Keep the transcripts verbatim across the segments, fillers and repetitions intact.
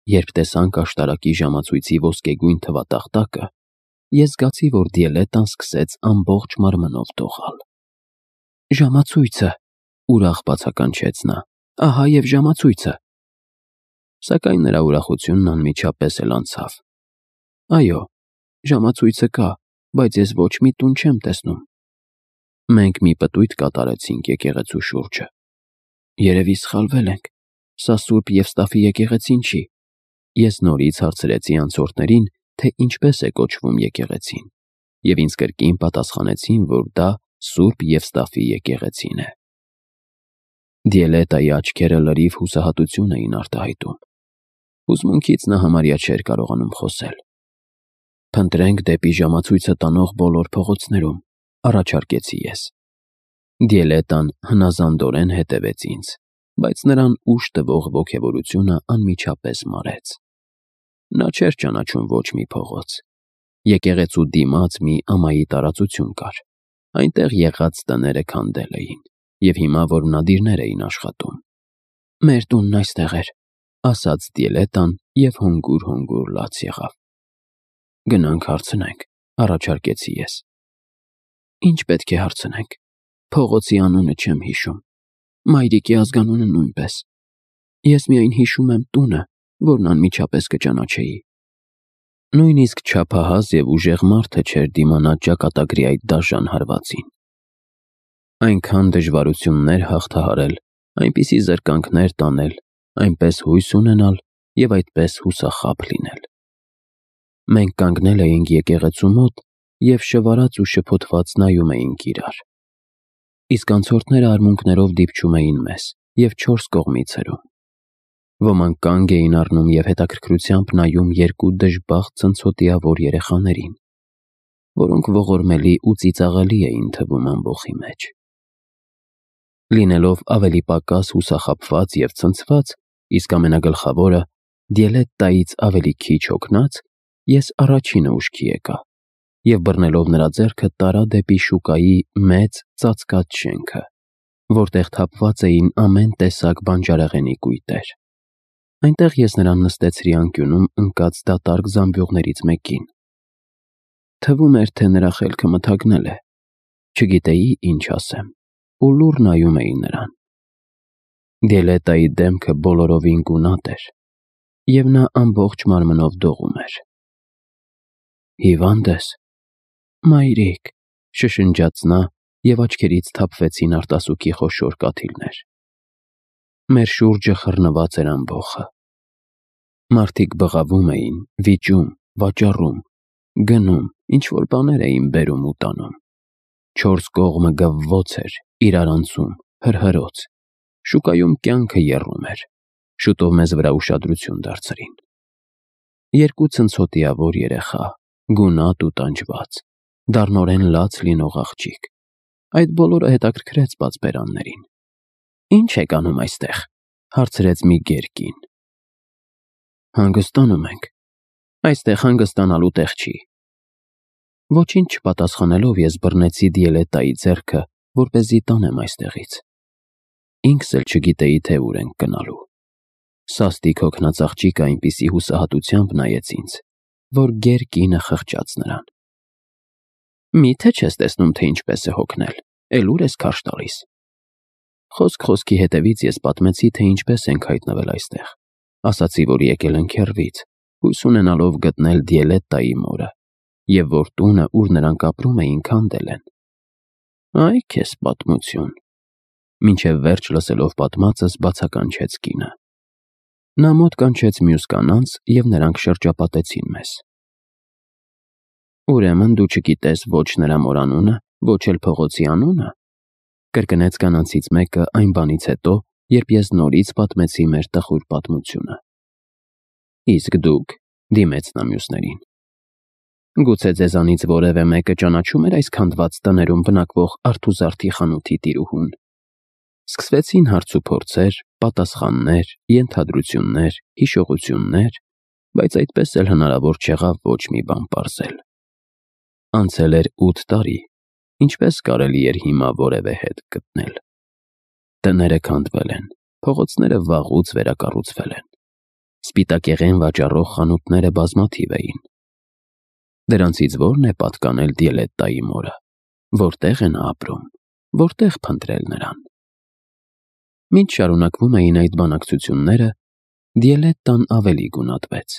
երբ տեսանք աշտարակի ժամացույցի ոսկեգույն թվատախտակը, ես զգացի, որ Դիելետան սկսեց ամբողջ մարմնով դողալ։ Ժամացույցը, ուրախ բացականչեց նա, ահա և ժամացույցը։ Սակայն նրա ուրախությունն անմիջապես էլ անցավ։ Այո, ժամացույցը կա, բայց ես ոչ մի տուն չեմ տեսնում։ Մենք մի պտույտ կատարեցինք եկեղեցու շուրջը։ Երևի սխալվել ենք, սա Սուրբ Եվստաֆի եկեղեցին չի։ Ես նորից հարցրեցի անցորդներին, թե ինչպես է կոչվում եկեղեցին, և ինձ կրկին պատասխանեցին, որ դա Սուրբ Եվստաֆի եկեղեցին է։ Դիելետայի աչքերը լրիվ հուսահատություն էին արտահայտում։ Հուզմունքից նա համարյա չէր կարողանում խոսել։ Փնտրենք դեպի ժամացույցը տանող բոլոր փողոցներում, առաջարկեցի ես։ Դիելետան հնազանդորեն հետևեց ինձ, բայց նրան ուժ տվող ոգևորությունը անմիջապես մարեց։ Նա չէր ճանաչում ոչ մի փողոց։ Եկեղեցու դիմաց մի ամայի տարածություն կար։ Այնտեղ եղած տները քանդել էին, և հիմա որմնադիրներ էին աշխատում։ Մեր տունն այստեղ էր, ասաց Դիելետան և հանգուր-հանգուր լաց եղավ։ Գնանք հարցնենք, առաջարկեցի ես։ Ինչ պետք է հարցնենք։ Փողոցի անունը չեմ հիշում, մայրիկի ազգանունը նույնպես։ Ես միայն հիշում եմ տունը, որն անմիջապես կճանաչեի։ Նույնիսկ չափահաս և ուժեղ մարդը չէր դիմանա ճակատագրի այդ դաժան հարվածին։ Այնքան դժվարություններ հաղթահարել, այնպիսի զրկանքներ տանել, այնպես հույս ունենալ և այդպես հուսախաբ լինել։ Մենք կանգնել էինք եկեղեցու մոտ և շվարած ու շփոթված նայում էինք իրար։ Իսկ անցորդները արմունկներով դիպչում էին մեզ և չորս կողմից հրում։ Ոմանք կանգ էին առնում և հետաքրքրությամբ նայում երկու դժբախտ ցնցոտիավոր երեխաներին, որոնք ողորմելի ու ծիծաղելի էին թվում ամբոխի մեջ։ Լինելով ավելի պակաս հուսախաբված և ցնցված, իսկ ամենագլխավորը Դիելետայից ավելի քիչ հոգնած, ես առաջինը ուշքի եկա և բռնելով նրա ձեռքը տարա դեպի շուկայի մեծ ծածկած շենքը, որտեղ թափված էին ամեն տեսակ բանջարեղենի կույտեր։ Այնտեղ ես նրան նստեցրի անկյունում ընկած դատարկ զամբյուղներից մեկին։ Թվում էր, թե նրա խելքը մթագնել է։ Չգիտեի ինչ ասեմ ու լուռ նայում էի նրան։ Դիելետայի դեմքը բոլորովին գունատ էր, և նա ամբողջ մարմնով դողում էր։ Հիվա՞նդ ես։ Մայրիկ, շշնջաց նա, և աչքերից թափվեցին արտասուքի խոշոր կաթիլներ։ Մեր շուրջը խռնված էր ամբոխը։ Մարդիկ բղավում էին, վիճում, վաճառում, գնում, ինչ-որ բաներ էին բերում ու տանում։ Չորս կողմը գվվոց էր, իրարանցում, հրհրոց։ Շուկայում կյանքը եռում էր։ Շուտով մեզ վրա ուշադրություն դարձրին։ Երկու ցնցոտիավոր երեխա, գունատ ու տանջված, դառնորեն լաց լինող աղջիկ։ Այդ բոլորը հետաքրքրեց պատվերաններին։ Ի՞նչ եք անում այստեղ, հարցրեց մի գեր կին։ Հանգստանում ենք։ Այստեղ հանգստանալու տեղ չի։ Ոչինչ չպատասխանելով ես բռնեցի Դիելետայի ձեռքը, որպեսզի տանեմ այստեղից։ Ինքս էլ չգիտեի, թե ուր ենք գնալու։ Սաստիկ հոգնած աղջիկը այնպիսի հուսահատությամբ նայեց ինձ, որ գեր կինը խղճաց նրան։ Մի՞թե չես տեսնում, թե ինչպես է հոգնել, էլ ուր ես քարշ տալիս։ Խոսք խոսքի հետևից ես պատմեցի, թե ինչպես ենք հայտնվել այստեղ։ Ասացի, որ եկել ենք հեռվից, հույս ունենալով գտնել Դիելետայի մորը, և որ տունը, ուր նրանք ապրում էին, քանդել են։ Այ քեզ պատմություն։ Մինչև վերջ լսելով պատմածս բացականչեց կինը։ Նա մոտ կանչեց մյուս կանանց, և նրանք շրջապատեցին մեզ։ Ուրեմն դու չգիտես ոչ նրա մոր անունը, ոչ էլ փողոցի անունը, կրկնեց կանանցից մեկը այն բանից հետո, երբ ես նորից պատմեցի մեր տխուր պատմությունը։ Իսկ դուք, դիմեց նա մյուսներին, գուցե ձեզանից որևէ մեկը ճանաչում էր այս քանդված տներում բնակվող արթուզարդի խանութի տիրուհուն։ Սկսվեցին հարցուփորձեր, պատասխաններ, ենթադրություններ, հիշողություններ, բայց այդպես էլ հնարավոր չեղավ ոչ մի բան պարզել։ Անցել էր ութ տարի, ինչպես կարելի էր հիմա որևէ հետ գտնել։ Տները քանդվել են, փողոցները վաղուց վերակառուցվել են։ Սպիտակեղեն վաճառող խանութները բազմաթիվ էին։ Դրանցից ո՞րն է պատկանել Դիելետտայի մորը, որտեղ է նա ապրում, որտեղ փնտրել նրան։ Մինչ շարունակվում էին այդ բանակցությունները, Դիելետտան ավելի գունատվեց։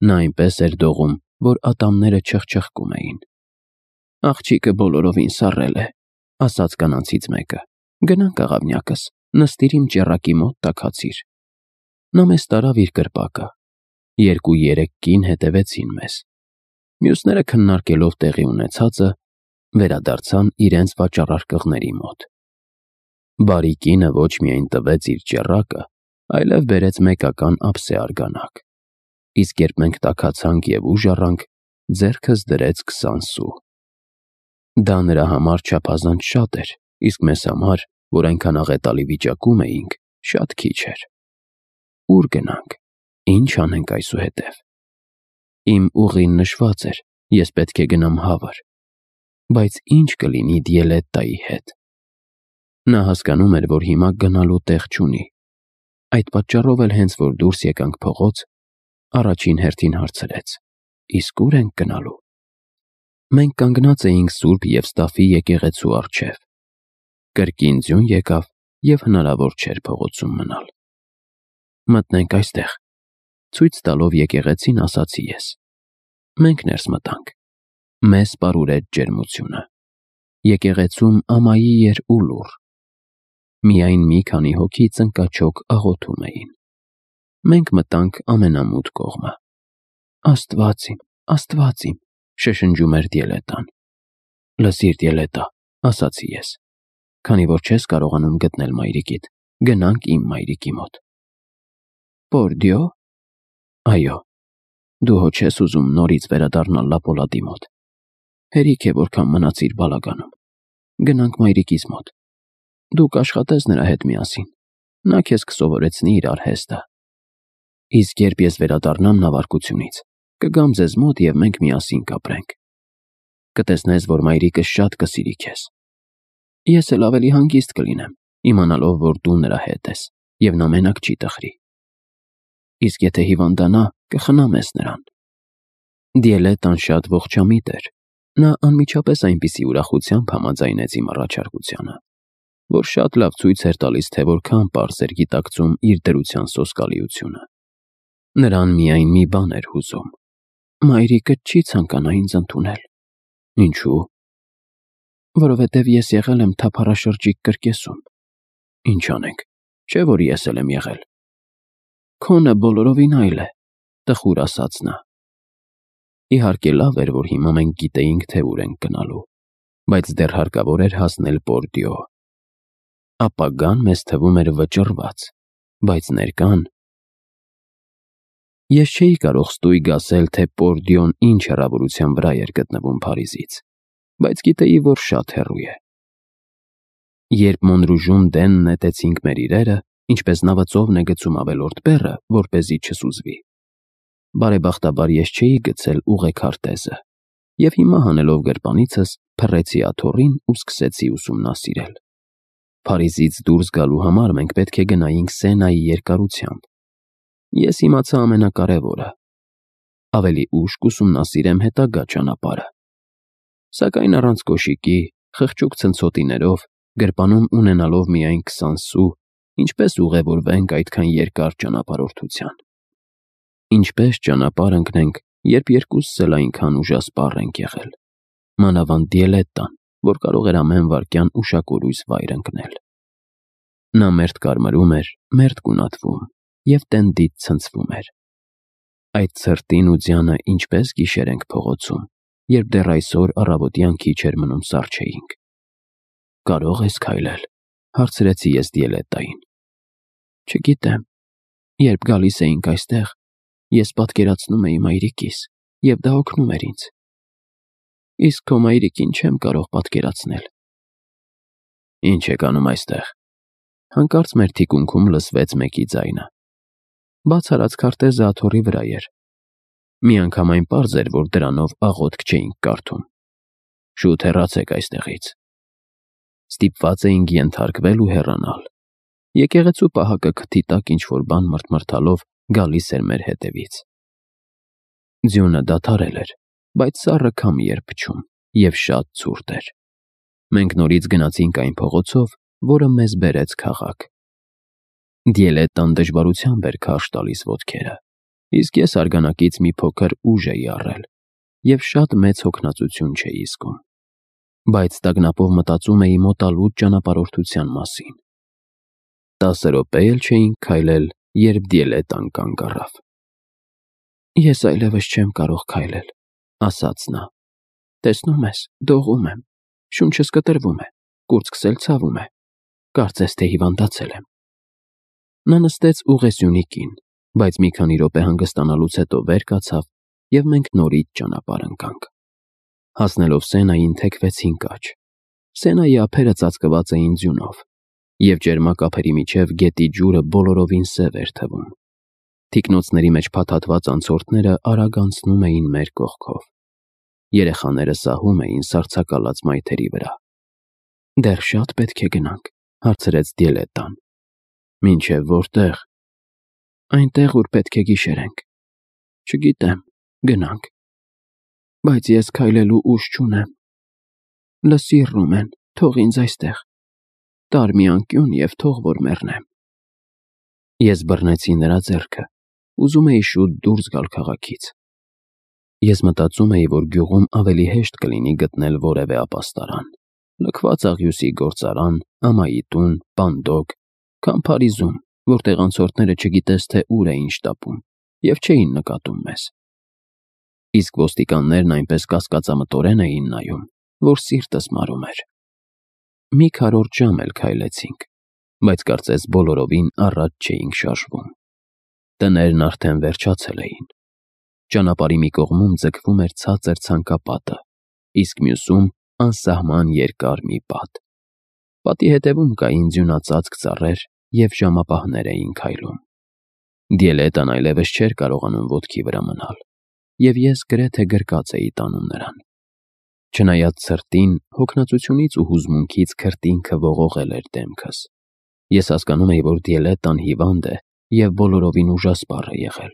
Նա այնպես էր դողում, որ ատամները չխչխկում էին։ «Աղջիկը բոլորովին սառել է», ասաց կանանցից մեկը։ «Գնանք, աղավնյակս, նստիր իմ ճեռակի մոտ տաքացիր»։ Նա մեզ տարավ իր կրպակը։ Երկու-երեք կին հետևեցին մեզ։ Մյուսները քննարկելով տեղի ունեցածը, վերադարձան իրենց վաճառարկղների մոտ։ Բարի կինը ոչ միայն տվեց իր ճեռակը, այլև բերեց մեկական ափսե արգանակ, իսկ երբ մենք տաքացանք և ուժ առանք, ձեռքս դրեց քսան սու։ Դա նրա համար չափազանց շատ էր, իսկ մեզ համար, որ այնքան աղետալի վիճակում էինք, շատ քիչ էր։ Ո՞ւր գնանք, ի՞նչ անենք այսուհետև։ Իմ ուղին նշված էր, ես պետք է գնամ Հավր, բայց ի՞նչ կլինի Դիելետտայի հետ։ Նա հասկանում էր, որ հիմա գնալու տեղ չունի։ Այդ պատճառով էլ հենց որ դուրս եկանք փողոց, առաջին հերթին հարցրեց. «Իսկ ո՞ւր ենք գնալու»։ Մենք կանգնած էինք Սուրբ Եվստաֆի եկեղեցու առջև։ Կրկին ձյուն եկավ և հնարավոր չէր փողոցում մնալ։ «Մտնենք այստեղ», ցույց տալով եկեղեցին, ասացի ես։ Մենք ներս մտանք։ Մեզ պարուրեց ջերմությունը։ Եկեղեցում ամայի էր ու լուռ։ Միայն մի քանի հոգի ծնկաչոք աղոթում էին։ Մենք մտանք ամենամութ կողմը։ «Աստված իմ, Աստված իմ», շշնջում էր Դիելետտան։ «Լսիր, Դիելետտա», ասացի ես, քանի որ չես կարողանում գտնել մայրիկիդ, գնանք իմ մայրիկի մոտ։ «Պորդիո»։ Այո, դու հո չես ուզում նորից վերադառնալ Լապոլատի մոտ։ Հերիք է, որքան մնացիր բալագանում։ Գնանք մայրիկիս մոտ։ Դու կաշխատես նրա հետ միասին։ Նա քեզ կսովորեցնի իր արհեստը։ Իսկ երբ ես վերադառնամ նավարկությունից, կգամ ձեզ մոտ և մենք միասին կապրենք։ Կտեսնես, որ մայրիկս շատ կսիրի քեզ։ Ես էլ ավելի հանգիստ կլինեմ, իմանալով, որ դու նրա հետ ես, և նա մենակ չի տխրի։ Իսկ եթե հիվանդանա, կխնամես նրան։ Դիելետտան շատ ողջամիտ էր։ Նա անմիջապես այնպիսի ուրախությամբ համաձայնեց իմ առաջարկությանը, որ շատ լավ ցույց էր տալիս, թե որքան պարզ էր գիտակցում իր դրության սոսկալիությունը։ Նրան միայն մի բան էր հուզում։ Մայրիկը չի ցանկանա ինձ ընդունել։ Ինչու՞։ Որովհետև ես եղել եմ թափառաշրջիկ կրկեսում։ Ինչ անենք, չէ՞ որ ես էլ եմ եղել։ Քոնը բոլորովին այլ է, տխուր ասաց նա։ Իհարկե լավ էր, որ հիմա մենք գիտեինք, թե ուր ենք գնալու, բայց դեռ հարկավոր էր հասնել Պորդիո։ Ապագան մեզ թվում էր վճռված, բայց ներկան… Ես չէի կարող ստույգ ասել, թե Պորդիոն ինչ հեռավորության վրա էր գտնվում Փարիզից, բայց գիտեի, որ շատ հեռու է։ Երբ Մոնրուժում դեն նետեցինք մեր իրերը, ինչպես նավածովն է գցում ավելորդ բեռը, որպեսզի չսուզվի, բարեբախտաբար ես չէի գցել ուղեքարտեզը, և հիմա հանելով գրպանիցս փռեցի աթոռին ու սկսեցի ուսումնասիրել։ Փարիզից դուրս գալու համար մենք պետք է գնայինք Սենայի երկարությամբ։ Ես իմացա ամենակարևորը. ավելի ուշ կուսումնասիրեմ հետագա ճանապարհը։ Սակայն առանց կոշիկի, խղճուկ ցնցոտիներով, գրպանում ունենալով միայն քսան սու, ինչպես ուղևորվենք այդքան երկար ճանապարհորդության։ Ինչպես ճանապարհ ընկնենք, երբ երկուսս էլ այնքան ուժասպառ ենք եղել։ Մանավանդ Դիելետտան, որ կարող էր ամեն վայրկյան ուշակորույս վայր ընկնել։ Նա մերթ կարմրում էր, մերթ գունատվում և տենդից ցնցվում էր։ Այդ ցրտին ու ձյանը ինչպես գիշեր ենք փողոցում, երբ դեռ այսօր առավոտյան քիչ էր մնում սառչեինք։ Կարո՞ղ ես քայլել, հարցրեցի ես Դիելետտային։ Չգիտեմ, երբ գալիս էինք այստեղ, ես պատկերացնում էի մայրիկիս, և դա օգնում էր ինձ։ Իսկ քո մայրիկին չեմ կարող պատկերացնել։ Ինչ եք անում այստեղ։ Հանկարծ մեր թիկունքում լսվեց մեկի ձայնը։ Բաց արած քարտեզը աթոռի վրա էր։ Միանգամայն պարզ էր, որ դրանով աղոթք չէինք կարդում։ Շուտ հեռացեք այստեղից։ Ստիպված էինք ենթարկվել ու հեռանալ։ Եկեղեցու պահակը քթի տակ ինչ-որ բան մրթմրթալով գալիս էր մեր հետևից։ Ձյունը դադարել էր, բայց սառը քամի էր փչում և շատ ցուրտ էր։ Մենք նորից գնացինք այն փողոցով, որը մեզ բերեց քաղաք։ Դիելետան դժվարությամբ էր քարշ տալիս ոտքերը, իսկ ես արգանակից մի փոքր ուժ էի առել և շատ մեծ հոգնածություն չէի զգում, բայց տագնապով մտածում էի մոտալուտ ճանապարհորդության մասին։ Տասը րոպե էլ չէինք քայլել, երբ Դիելետան կանգ առավ։ «Ես այլևս չեմ կարող քայլել», ասաց նա։ «Տեսնում ես, դողում եմ, շունչս կտրվում է, կուրծքս էլ ցավում է, կարծես թե հիվանդացել եմ»։ Նա նստեց ուղեզյունի կին, բայց մի քանի րոպե հանգստանալուց հետո վեր կացավ, և մենք նորից ճանապարհ ընկանք։ Հասնելով Սենային թեքվեցինք աջ։ Սենայի ափերը ծածկված էին ձյունով, և ճերմակ ափերի միջև գետի ջուրը բոլորովին սև էր թվում։ Թիկնոցների մեջ փաթաթված անցորդները արագ անցնում էին մեր կողքով։ Երեխաները սահում էին սառցակալած մայթերի վրա։ «Դեռ շա՞տ պետք է գնանք», հարցրեց Դիելետան։ «Մինչև որտե՞ղ»։ «Այնտեղ, ուր պետք է գիշերենք»։ «Չգիտեմ, գնանք»։ «Բայց ես քայլելու ուժ չունեմ»։ «Լսիր, Ռումեն, թող ինձ այստեղ։ Տար մի անկյուն և թող որ մեռնեմ»։ Ես բռնեցի նրա ձեռքը, ուզում էի շուտ դուրս գալ քաղաքից։ Ես մտածում էի, որ գյուղում ավելի հեշտ կլինի գտնել որևէ ապաստարան, լքված աղյուսի գործարան, ամայի տուն, պանդոկ, քան Փարիզում, որտեղ անցորդները չգիտես թե ուր էին շտապում և չէին նկատում մեզ։ Իսկ ոստիկաններն այնպես կասկածամտորեն էին նայում, որ սիրտս մարում էր։ Մի քառորդ ժամ էլ քայլեցինք, բայց կարծես բոլորովին առաջ չէինք շարժվում։ Տներն արդեն վերջացել էին։ Ճանապարհի մի կողմում ձգվում էր ցածր ցանկապատը, իսկ մյուսում անսահման երկար մի պատ։ Պատի հետևում կային ձյունածածկ ծառեր և ժամապահներ էին քայլում։ Դիելետան այլևս չէր կարողանում ոտքի վրա մնալ, և ես գրեթե գրկած էի տանում նրան։ Չնայած ցրտին, հոգնածությունից ու հուզմունքից քրտինքը ողողել էր դեմքս։ Ես հասկանում էի, որ Դիելետան հիվանդ է և բոլորովին ուժասպառ է եղել։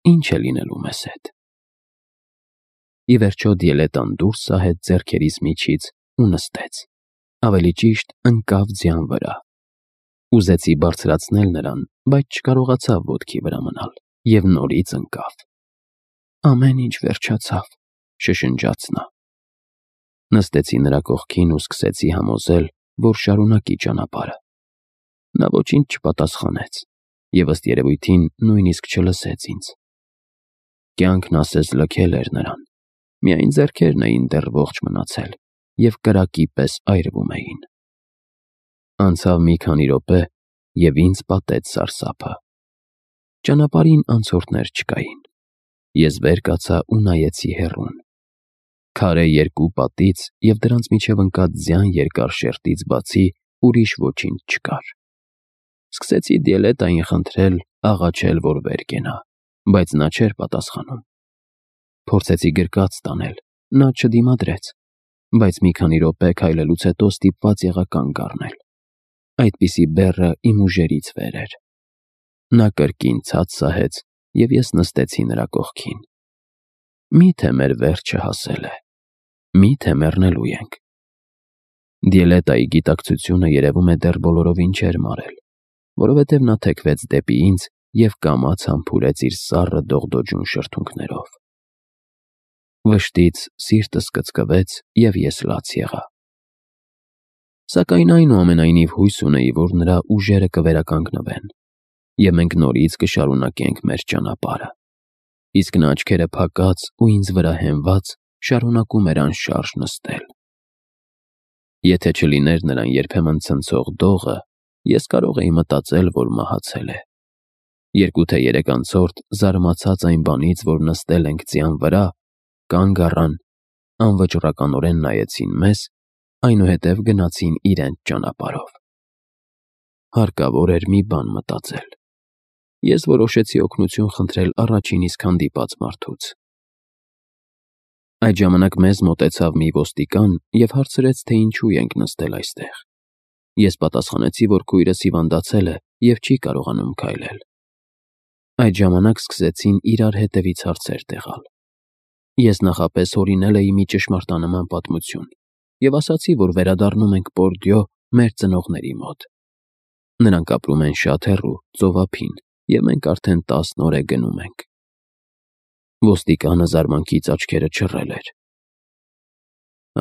Ի՞նչ է լինելու մեզ հետ։ Ի վերջո Դիելետան դուրս սահեց ձեռքերիս միջից ու նստեց, ավելի ճիշտ ընկավ ձյան վրա։ Ուզեցի բարձրացնել նրան, բայց չկարողացավ ոտքի վրա մնալ և նորից ընկավ։ «Ամեն ինչ վերջացավ», շշնջաց նա։ Նստեցի նրա կողքին ու սկսեցի համոզել, որ շարունակի ճանապարհը։ Նա ոչինչ չպատասխանեց և ըստ երևույթին նույնիսկ չլսեց ինձ։ Կյանքն ասես լքել էր նրան, միայն ձեռքերն էին դեռ ողջ մնացել և կրակի պես այրվում էին։ Անցավ մի քանի րոպե, և ինձ պատեց սարսափը։ Ճանապարհին անցորդներ չկային։ Ես վեր կացա ու նայեցի հեռուն։ Քարե երկու պատից և դրանց միջև ընկած ձյան երկար շերտից բացի ուրիշ ոչինչ չկար։ Սկսեցի Դիելետային խնդրել, աղաչել, որ վեր կենա, բայց նա չէր պատասխանում։ Փորձեցի գրկած տանել, նա չդիմադրեց, բայց մի քանի րոպե քայլելուց հետո ստիպված եղա կանգ առնել։ Այդպիսի բեռը իմ ուժերից վեր էր։ Նա կրկին ցած սահեց, և ես նստեցի նրա կողքին։ Մի՞թե մեր վերջը հասել է։ Մի՞թե մեռնելու ենք։ Դիելետայի գիտակցությունը երևում է դեռ բոլորովին չէր մարել, որովհետև նա թեքվեց դեպի ինձ և կամաց համբուրեց իր սառը դողդոջուն շրթունքներով։ Վշտից սիրտս կծկվեց, և ես լաց եղա։ Սակայն այնուամենայնիվ հույս ունեի, որ նրա ուժերը կվերականգնվեն, և մենք նորից կշարունակենք մեր ճանապարհը։ Իսկ նա աչքերը փակած ու ինձ վրա հենված շարունակում էր անշարժ նստել։ Եթե չլիներ նրան երբեմն ցնցող դողը, ես կարող էի մտածել, որ մահացել է։ Երկու թե երեք անցորդ, զարմացած այն բանից, որ նստել ենք ձյան վրա, կանգ առան, անվճռականորեն նայեցին մեզ, այնուհետև գնացին իրենց ճանապարհով։ Հարկավոր էր մի բան մտածել։ Ես որոշեցի օգնություն խնդրել առաջին իսկ հանդիպած մարդուց։ Այդ ժամանակ մեզ մոտեցավ մի ոստիկան և հարցրեց, թե ինչու ենք նստել այստեղ։ Ես պատասխանեցի, որ քույրս հիվանդացել է և չի կարողանում քայլել։ Այդ ժամանակ սկսեցին իրար հետևից հարցեր տեղալ։ Ես նախապես հորինել էի մի ճշմարտանման պատմություն և ասացի, որ վերադառնում ենք Բորդյո մեր ծնողների մոտ։ Նրանք ապրում են շատ հեռու, ծովափին, և մենք արդեն տասն օր է գնում ենք։ Ոստիկանը զարմանքից աչքերը չռել էր։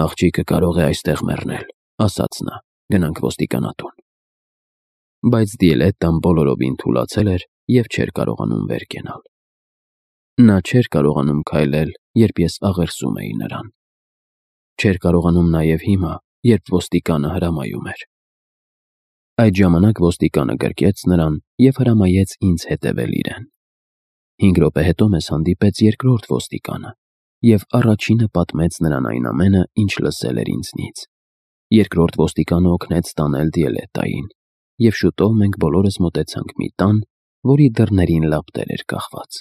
«Աղջիկը կարող է այստեղ մեռնել», ասաց նա, «գնանք ոստիկանատուն»։ Բայց Դիելետտան բոլորովին թուլացել էր և չէր կարողանում վեր կենալ։ Նա չէր կարողանում քայլել, երբ ես աղերսում էի նրան։ Չէր կարողանում նաև հիմա, երբ ոստիկանը հրամայում էր։ Այդ ժամանակ ոստիկանը գրկեց նրան և հրամայեց ինձ հետևել իրեն։ Հինգ րոպե հետո մեզ հանդիպեց երկրորդ ոստիկանը և առաջինը պատմեց նրան այն ամենը, ինչ լսել էր ինձնից։ Երկրորդ ոստիկանը օգնեց տանել Դիելետտային, և շուտով մենք բոլորս մոտեցանք մի տան, որի դռներին լապտեր էր կախված։